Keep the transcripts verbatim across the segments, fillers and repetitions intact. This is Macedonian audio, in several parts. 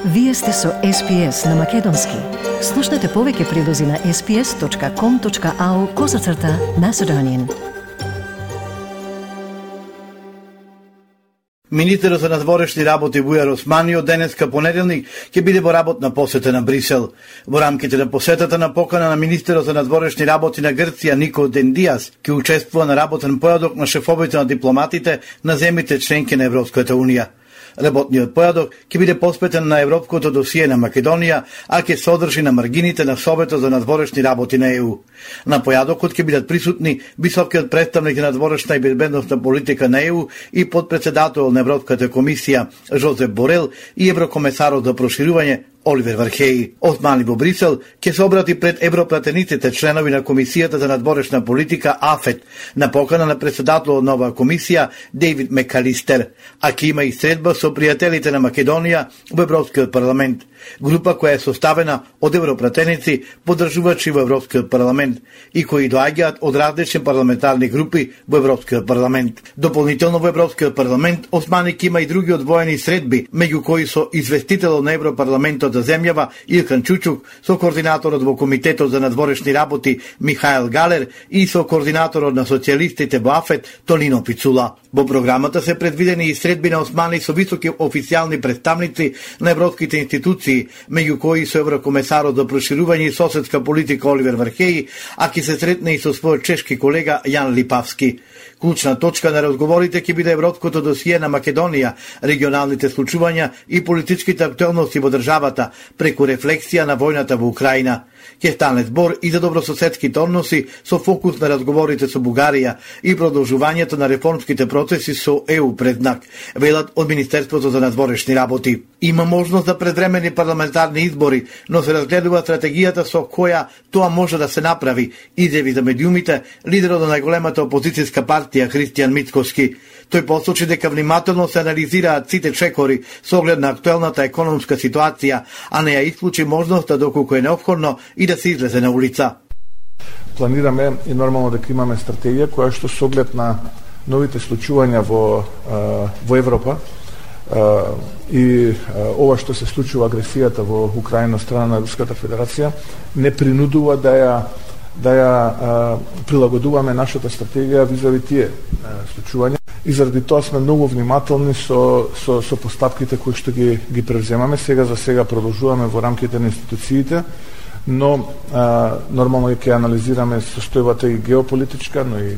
Вие сте со Ес Пи Ес на Македонски. Слушнете повеќе прилози на ес пи ес точка ком точка ау козацрта Macedonian. Министерот за надворешни работи Бујар Османи од денеска понеделник ќе биде во работна посета на Брисел. Во рамките на посетата на покана на министерот за надворешни работи на Грција Нико Дендијас ќе учествува на работен појадок на шефовите на дипломатите на земјите членки на Европската унија. Работниот појадок ќе биде посветен на европското досие на Македонија, а ќе се одржи на маргините на Советот за надворешни работи на Е У. На појадокот ќе бидат присутни високиот представник на надворешна и безбедносна политика на Е У и подпредседател на Европската комисија Жозеп Борел и еврокомесарот за проширување Оливер Вархеи. Османи во Брисел ќе се обрати пред европратениците членови на Комисијата за надворешна политика АФЕТ на покана на председателот на оваа комисија Дейвид Мекалистер, а ќе има и средба со пријателите на Македонија во Европскиот парламент. Група која е составена од европратеници, поддржувачи во Европскиот парламент и кои доаѓаат од различни парламентарни групи во Европскиот парламент. Дополнително во Европскиот парламент Османи ќе има и други одвоени средби, меѓу кои со известителот на Европарламентот за земјава Илкан Чучук, со координаторот во Комитетот за надворешни работи Михаел Галер и со координаторот на социјалистите во АФЕТ Тонино Пицула. Во програмата се предвидени и средби на Османи со високи официјални представници на европските институции, меѓу кои со еврокомесарот за проширување и соседска политика Оливер Вархеи, а ќе се сретне и со својот чешки колега Јан Липавски. Клучна точка на разговорите ќе биде европското досие на Македонија, регионалните случувања и политичките актуелности во државата преку рефлексија на војната во Украина. Ќе стане збор и за добрососедските односи со фокус на разговорите со Бугарија и продолжувањето на реформските процеси со Е У предзнак, велат од Министерството за надворешни работи. Има можност за предвремени парламентарни избори, но се разгледува стратегијата со која тоа може да се направи, изјави за медиумите лидерот на најголемата опозицијска партија Христијан Мицкоски. Тој посочи дека внимателно се анализираат сите чекори со оглед на актуелната економска ситуација, а не ја исклучи можноста доколку е неопходно и да се излезе на улица. Планираме и нормално дека имаме стратегија која што со оглед на новите случувања во во Европа и ова што се случува агресијата во Украина од страна на Руската Федерација не принудува да ја да ја а, прилагодуваме нашата стратегија визави тие а, случувања и заради тоа сме многу внимателни со со со постапките кои што ги ги превземаме. Сега за сега продолжуваме во рамките на институциите, но а, нормално ќе анализираме состојбата и геополитичка, но и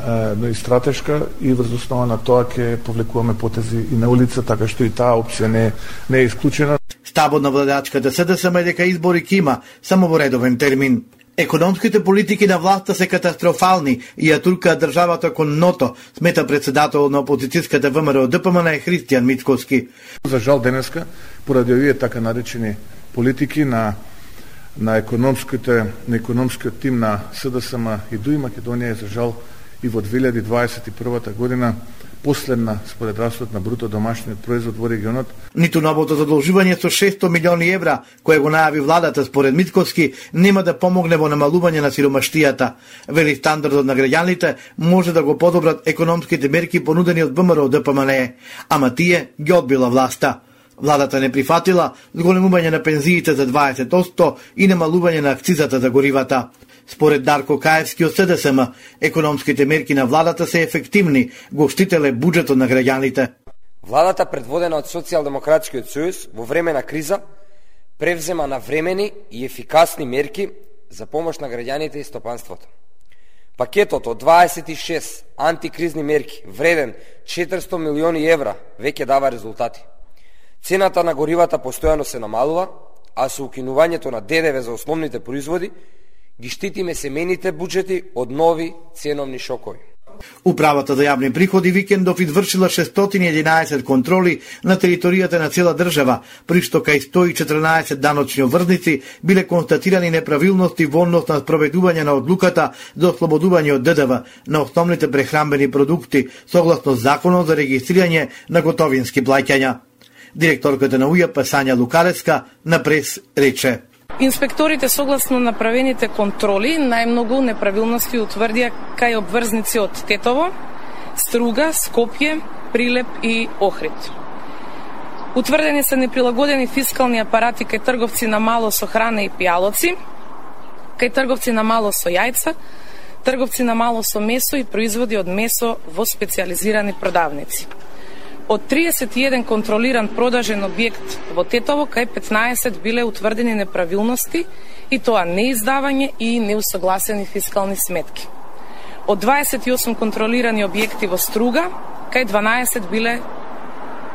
а, но и стратешка и врз основа на тоа ќе повлекуваме потези и на улица, така што и таа опција не не е исклучена. Стабот на владачката Се Де Се Ем е дека избори ќе има само во редовен термин. Економските политики на власта се катастрофални и ја туркаат државата кон дното, смета председател на опозицијската Вэ Ем Ер О Д П М Н Христијан Мицкоски. За жал денеска, поради овие така наречени политики на на економските на економскиот тим на Се Де Се Ем и ДУИ Македонија е за жал и во две илјади дваесет и прва година последна според растот на бруто домашниот производ во регионот. Ниту новото задолжување со шестстотини милиони евра, кое го најави владата според Мицкоски, нема да помогне во намалување на сиромаштијата. Вели стандардот на граѓаните може да го подобрат економските мерки понудени од Вэ Ем Ер О Д П М Н, ама тие ги одбила власта. Владата не прифатила зголемување на пензиите за дваесет одсто и намалување на акцизата за горивата. Според Дарко Каевски од Се Де Се Ем, економските мерки на владата се ефективни, го штителе буџетот на граѓаните. Владата, предводена од Социјалдемократскиот сојуз, во време на криза, превзема навремени и ефикасни мерки за помош на граѓаните и стопанството. Пакетот од дваесет и шест антикризни мерки, вреден четиристотини милиони евра, веќе дава резултати. Цената на горивата постојано се намалува, а со укинувањето на Д Д В за основните производи, ги штитиме семејните буџети од нови ценовни шокови. Управата за јавни приходи викендов извршила шестстотини и единаесет контроли на територијата на цела држава, при што кај сто и четрнаесет даночни обврзници биле констатирани неправилности во однос на спроведување на одлуката за ослободување од Д Д В на основните прехранбени продукти, согласно Законот за регистрирање на готовински плаќања. Директорката на У Ј П Сања Лукалеска на прес рече: Инспекторите согласно направените контроли најмногу неправилности утврдија кај обврзници од Тетово, Струга, Скопје, Прилеп и Охрид. Утврдени се неприлагодени фискални апарати кај трговци на мало со храна и пијалоци, кај трговци на мало со јајца, трговци на мало со месо и производи од месо во специјализирани продавници. Од триесет и еден контролиран продажен објект во Тетово, кај петнаесет биле утврдени неправилности, и тоа неиздавање и неусогласени фискални сметки. Од дваесет и осум контролирани објекти во Струга, кај дванаесет биле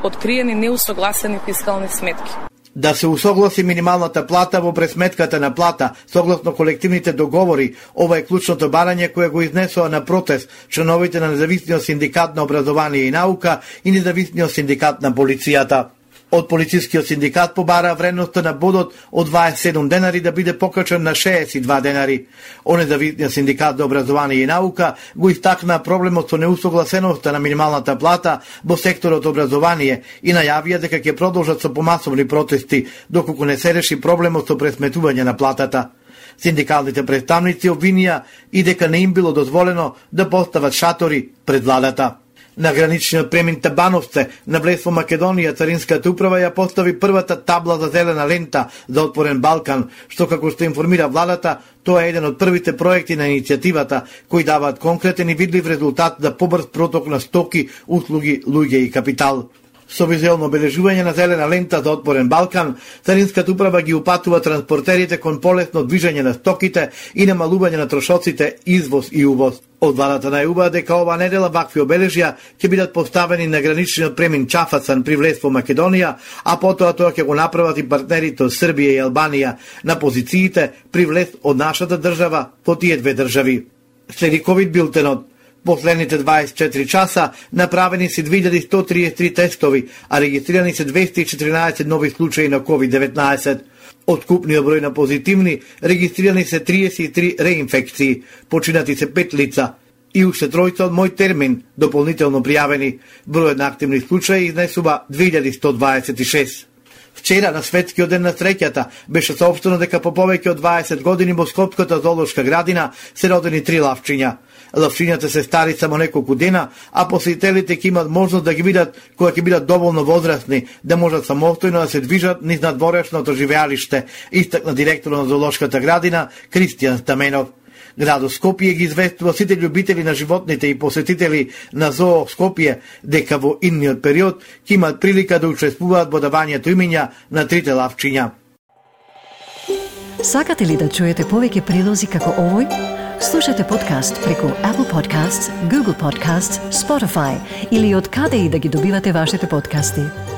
откриени неусогласени фискални сметки. Да се усогласи минималната плата во пресметката на плата, согласно колективните договори, ова е клучното барање кое го изнесоа на протест членовите на Независниот синдикат на образование и наука и Независниот синдикат на полицијата. Од полицискиот синдикат побара вредноста на бодот од дваесет и седум денари да биде покачен на шеесет и два денари. О Независниот синдикат за образование и наука го истакна проблемот со неусогласеноста на минималната плата во секторот образование и најавија дека ќе продолжат со помасовни протести доколку не се реши проблемот со пресметување на платата. Синдикалните представници обвинија и дека не им било дозволено да постават шатори пред владата. На граничниот премин Табановце, на влез во Македонија, Царинската управа ја постави првата табла за зелена лента за отворен Балкан, што како што информира владата, тоа е еден од првите проекти на иницијативата кои даваат конкретен и видлив резултат за побрз проток на стоки, услуги, луѓе и капитал. Со визуелно обележување на зелена лента за отворен Балкан, Царинската управа ги упатува транспортерите кон полесно движење на стоките и намалување на трошоците извоз и увоз. Од владата најубава дека ова недела вакви обележја ќе бидат поставени на граничниот премин Чафацан при влез во Македонија, а потоа тоа ќе го направат и партнерите од Србија и Албанија на позициите при влез од нашата држава во тие две држави. Следи ковид билтенот. Последните дваесет и четири часа направени се две илјади сто триесет и три тестови, а регистрирани се двеста и четрнаесет нови случаи на ковид деветнаесет. Од купниот број на позитивни, регистрирани се триесет и три реинфекции, починати се пет лица и уште тројца од мој термин дополнително пријавени. Бројот на активни случаи изнесува две илјади сто дваесет и шест. Вчера, на Светскиот ден на среќата, беше соопштено дека по повеќе од дваесет години во Скопската зоолошка градина се родени три лавчиња. Лавчињата се стари само неколку дена, а посетителите ќе имат можност да ги видат кога ќе бидат доволно возрастни, да можат самостојно да се движат низ надворешното живеалиште, истакна директорот на зоолошката градина Кристијан Стаменов. Градот Скопје ги известува сите љубители на животните и посетители на Зоо Скопје дека во идниот период ќе имат прилика да учествуваат во давањето имиња на трите лавчиња. Сакате ли да чуете повеќе прилози како овој? Слушате подкаст преку Apple Podcasts, Google Podcasts, Spotify или од каде и да ги добивате вашите подкасти.